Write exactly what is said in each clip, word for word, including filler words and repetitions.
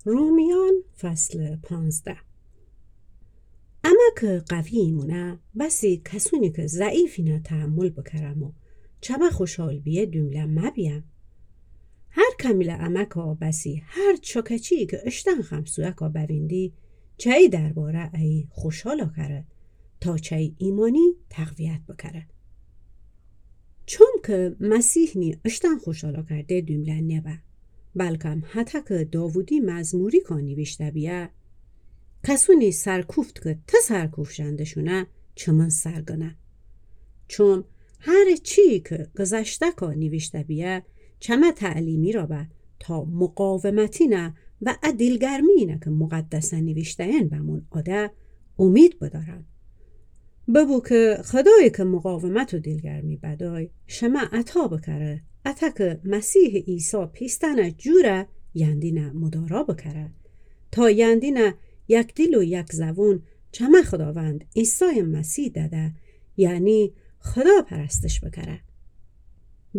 رومیان، فصل پانزده. امه که قوی ایمونه، بسی کسونی که ضعیفینه تحمل بکرم و چمه خوشحال بیه دومله مبیم. هر کمیله امه که بسی هر چکچی که اشتن خمسویه که بویندی، چه‌ای درباره ایی خوشحالا کره، تا چه‌ای ایمانی تقویت بکره. چون که مسیح نی اشتن خوشحالا کرده دومله نبه، بلکم هتأ که داوودی مزموری که نیویشته بیه، کسونی سرکوفت که ته سرکوفت ژندشونه چمن سرگنه. چون هر چی که گذشته که نیویشته بیه، چمه تعلیمی را به تا مقاومتینه و ا دیلگرمینه که مقدسه نیویشته‌ین بمون آده، امید بدارم. ببو که خدایی که مقاومت و دیلگرمی بدای، شمه عطا بکره، اته که مسیح عیسی پیستنه جوره یندینه مدارا بکره، تا یندینه یک دیل و یک زبون چمه خداوند عیسی مسیح دده، یعنی خدا پرستش بکره.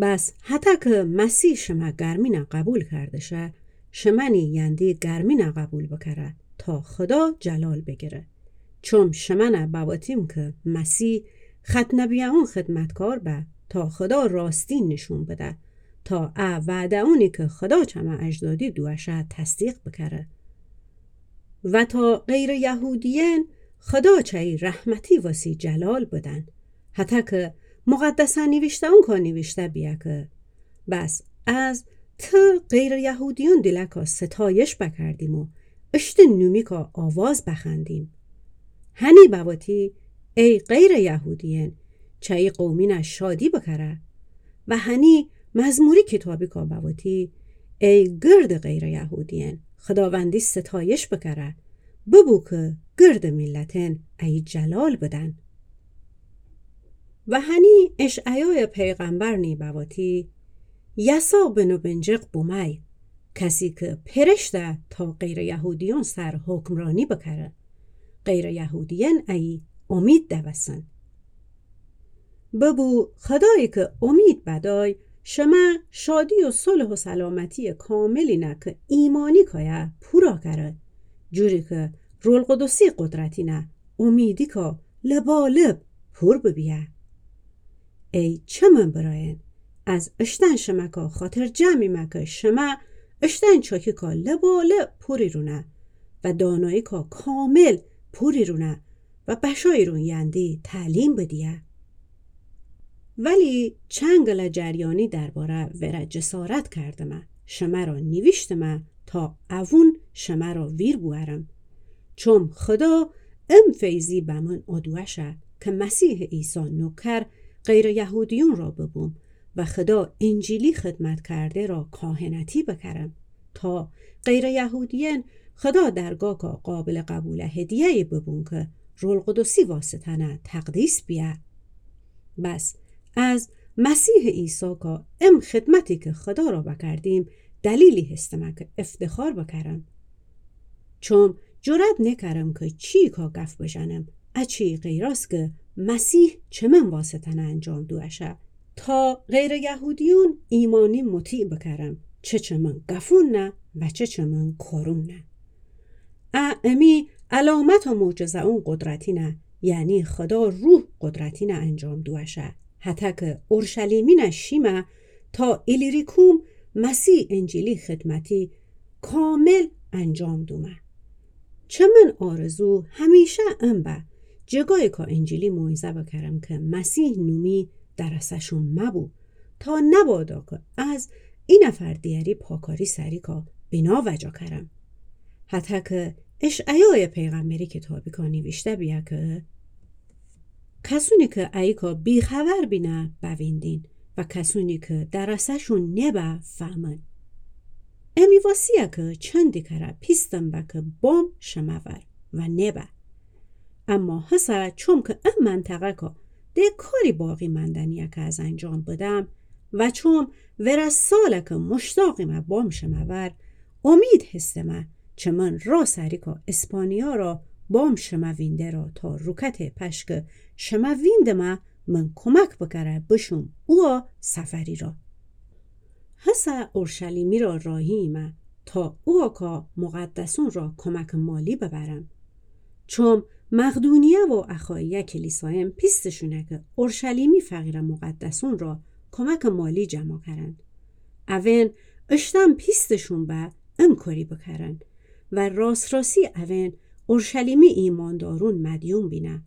بس هتأ که مسیح شمه گرمینه قبول کرده شه، شمه نی یندی گرمینه قبول بکره، تا خدا جلال بگیره. چون شمنه بواتیم که مسیح ختنه بیه اون خدمتکار به، تا خدا راستی نشون بده، تا ا وعده‌اونی که خدا چمه اجدادی دوشه تصدیق بکره. و تا غیر یهودیین خدا چه‌ای رحمتی واسی جلال بدن، هتأ که مقدسه نیویشته‌اون که نیویشته بیه که بس از ته غیر یهودیون دیلکا ستایش بکردیم و اشته نومیکا آواز بخوأندیم. هنی بوتی، ای غیر یهودیین، چه‌ای قومینه شادی بکره. و هنی مزموری کیتابیکا بوتی، ای گرد غیر یهودیین، خداوندی ستایش بکره. ببو که گرد میلتین ایی جلال بدن. و هنی اشعیای پیغمبر نی بوتی، یسا بنو بنجق بومای، کسی که پرشته تا غیر یهودیون سر حکمرانی بکره. غیر یهودیین ایی امید دوسن. ببو خدایی که امید بدای، شمه شادی و صلح و سلامتی کاملینه که ایمانی کایه پورا کره، جوری که روح القدسی قدرتینه امیدیکا لبالب پور ببیه. ای چمن برأیین، از اشتن شمکا خاطرجمه‌ییمه که شمه اشتن چاکیکا لبالب پوریرونه و داناییکا کامل پوریرونه و بشاییرون یندی تعلیم بدیه. ولی چنگله جریانی درباره وره جسارت کردمه، شمه را نیویشتمه تا اوون شمه را ویر بوأرم. چون خدا ام فیضی بمن اودوشه که مسیح عیسی نوکر غیر یهودیون را ببوم و خدا انجیلی خدمت کرده را کاهنتی بکرم، تا غیر یهودیین خدا درگاکا قابل قبول هدیه‌یی ببون که روح القدسی واسطه‌نه تقدیس بیه. بس از مسیح عیسی که ام خدمتی که خدا را بکردیم، دلیلی هستمه که افتخار بکرم. چون جرأت نکرم که چیکا گف بجنم، اچی غیراز که مسیح چمن واسطه‌نه انجام دوشه، تا غیر یهودیون ایمانی مطیع بکرم، چه چمن گفون نه و چه چمن کارون نه. ا امی علامت و معجزه‌اون قدرتینه، یعنی خدا روح قدرتینه انجام دوشه، هتأ که اورشلیمینه شیمه تا ایلیریکوم مسیح انجیلی خدمتی کامل انجام دومه. چمن آرزو همیشه ام به، جگاییکا انجیلی موعظه بکرم که مسیح نومی درسه‌شون مبو، تا نبادا که از ای نفر دیگری پاکاری سریکا بنا وجا کرم. هتأ که اشعیای پیغمبری کیتابیکا نیویشته بیه که کسونی که اییکا بی‌خبر بینه بویندین و کسونی که درسه‌شون نبه فهمن. امی واسیه که چندی کره پیستم به که بام شمه ور و نبه. اما هسه چوم که ا منطقه‌کا ده کاری باقی مندنیه که از انجام بدم و چوم ورا ساله که مشتاقیمه بام شمه ور، امید هستمه چمن را سریکا اسپانیا را بام شمه وینده را تا روکت پشکه شمه ویندمه من کمک بکره بشوم اوا سفری را. هسه اورشلیمی را راهیمه تا اوکا مقدسون را کمکٚ مالی ببرم. چوم مقدونیه و اخایه کلیسایم پیستشونه کی اورشلیمی فقیرٚ مقدسون را کمکٚ مالی جمع کرن. اون اشتم پیستشون به ام کاری بکرن و راس راسی اون اورشلیمی ایماندارون مدیون بینه.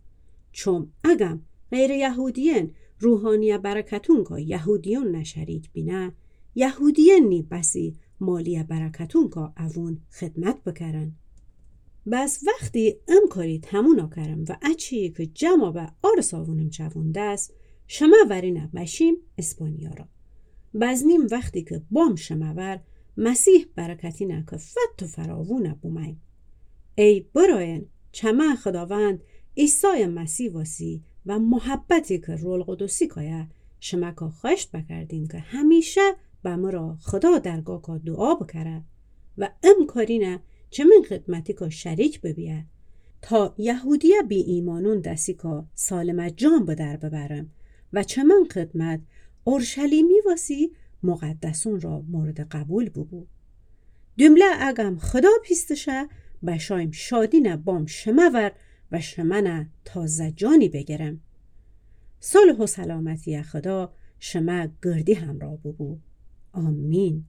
چوم اگم غیرٚ یهودیین روحانیه برکتونکا یهودیون نه شریک بینه، یهودیین نی بسی مالیه برکتونکا اوون خدمت بکرن. بس وختی ام کاری تمونا کرم و اچی کی جمع به آرس آوونم چووندس، شمه ورینه بشیم اسپانیا را. بزنیم وختی کی بام شمه ور، مسیح برکتینه کی فت و فراوونه بومیم. ای برایین، چمه خداوند عیسای مسیح واسی و محبتی کی روح القدسی کایه، شمه کا خوأشت بکردیم کی همیشه به مرا خدا درگاه کا دوعا بکره و ام کارینه چمن خدمتی کا شریک ببیه، تا یهودیه بی ایمانون دسی کا سالمه جان به در ببرم و چمن خدمت اورشلیمی واسی مقدسون را مورد قبول ببو. دومله اگم خدا پیستشه، بشایم شادینه بام شمه ور و شمنه تازه جانی بگرم. صلح و سلامتیه خدا شمه گردی همراه ببو. آمین.